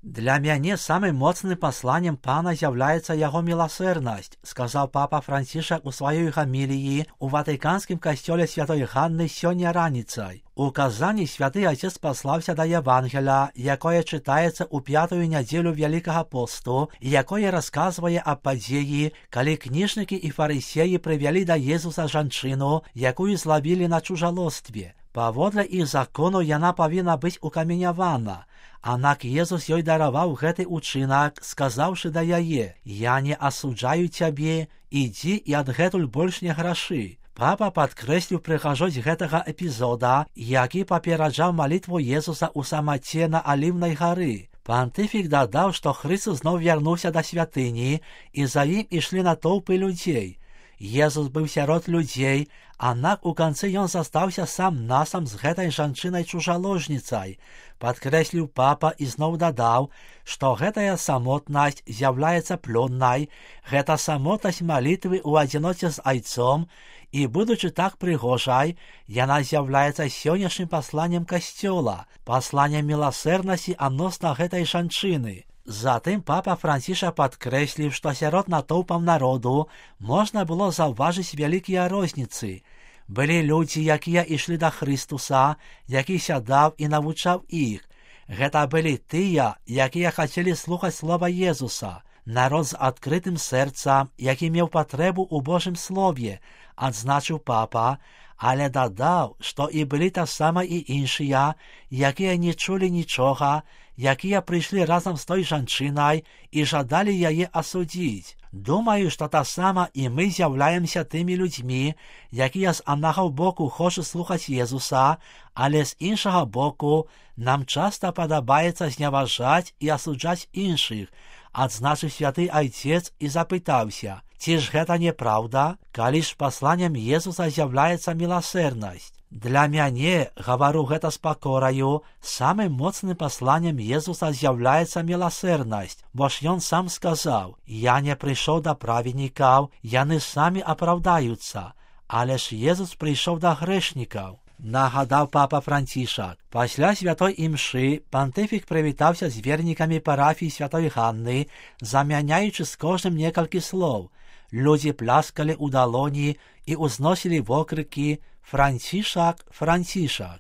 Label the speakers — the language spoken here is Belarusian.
Speaker 1: Для мяне самым моцным пасланнем Пана з'яўляецца яго міласэрнасць, сказаў папа Францішак у сваёй гаміліі ў ватыканскім касцёле святой Ганны сёння раніцай. У Казані святы Отец паслаўся да Евангеля, якое чытаецца ў пятую нядзелю Вялікага посту, і якое расказвае аб падзеі, калі кніжнікі і фарысеі прывялі да Езуса жанчыну, якую злавілі на чужалостве. Паводле іх закону яна павінна быць укаменявана. Аднак Езус ёй дараваў гэты учынак, сказаўшы да яе: «Я не асуджаю цябе, ідзі і адгэтуль больш не грашы». Папа падкрэсліў прыгажосць гэтага эпізода, які папераджаў малітву Езуса ў самаце на Аліўнай гары. Пантыфік дадаў, што Хрыстос зноў вярнуўся да святыні, і за ім ішлі натоўпы людзей. Езус быў сярод людзей, аднак у канцы ён застаўся сам-насам з гэтай жанчынай-чужаложніцай. Падкрэсліў папа і зноў дадаў, што гэтая самотнасць з'яўляецца плённай, гэта самотнасць малітвы ў адзіноце з айцом, і, будучы так прыгожай, яна з'яўляецца сённяшнім пасланнем касцёла, пасланнем міласэрнасці адносна гэтай жанчыны. Затым папа Францішак падкрэсліў, што сярод натоўпаў народу можна было заўважыць вялікія розніцы. Былі людзі, якія ішлі да Хрыстуса, які сядаў і навучаў іх. Гэта былі тыя, якія хацелі слухаць слова Езуса. Народ з адкрытым сэрцам, які меў патрэбу ў Божым слове, адзначыў папа, але дадаў, што і былі таксама і іншыя, якія не чулі нічога, якія прыйшлі разам з той жанчынай і жадалі яе асудзіць. Думаю, што таксама і мы з'яўляемся тымі людзьмі, якія з аднаго боку хочуць слухаць Езуса, але з іншага боку нам часта падабаецца зневажаць і асуджаць іншых, адзначыў святы Айцец і запытаўся: ці ж гэта неправда, калі ж пасланнем Езуса з'яўляецца міласэрнасць? Для мяне, гавару гэта з пакораю, самым моцным пасланнем Езуса з'яўляецца міласэрнасць, бо ж ён сам сказаў: «Я не прыйшоў да праведнікаў, яны самі апраўдаюцца, але ж Езус прыйшоў да грэшнікаў», нагадаў папа Францішак. Пасля святой імшы пантыфік прывітаўся з вернікамі парафіі святой Ганны, замяняючы з кожным некалькі слоў. Людзі пляскалі ў далоні і ўзносілі вокрыкі: «Францішак, Францішак».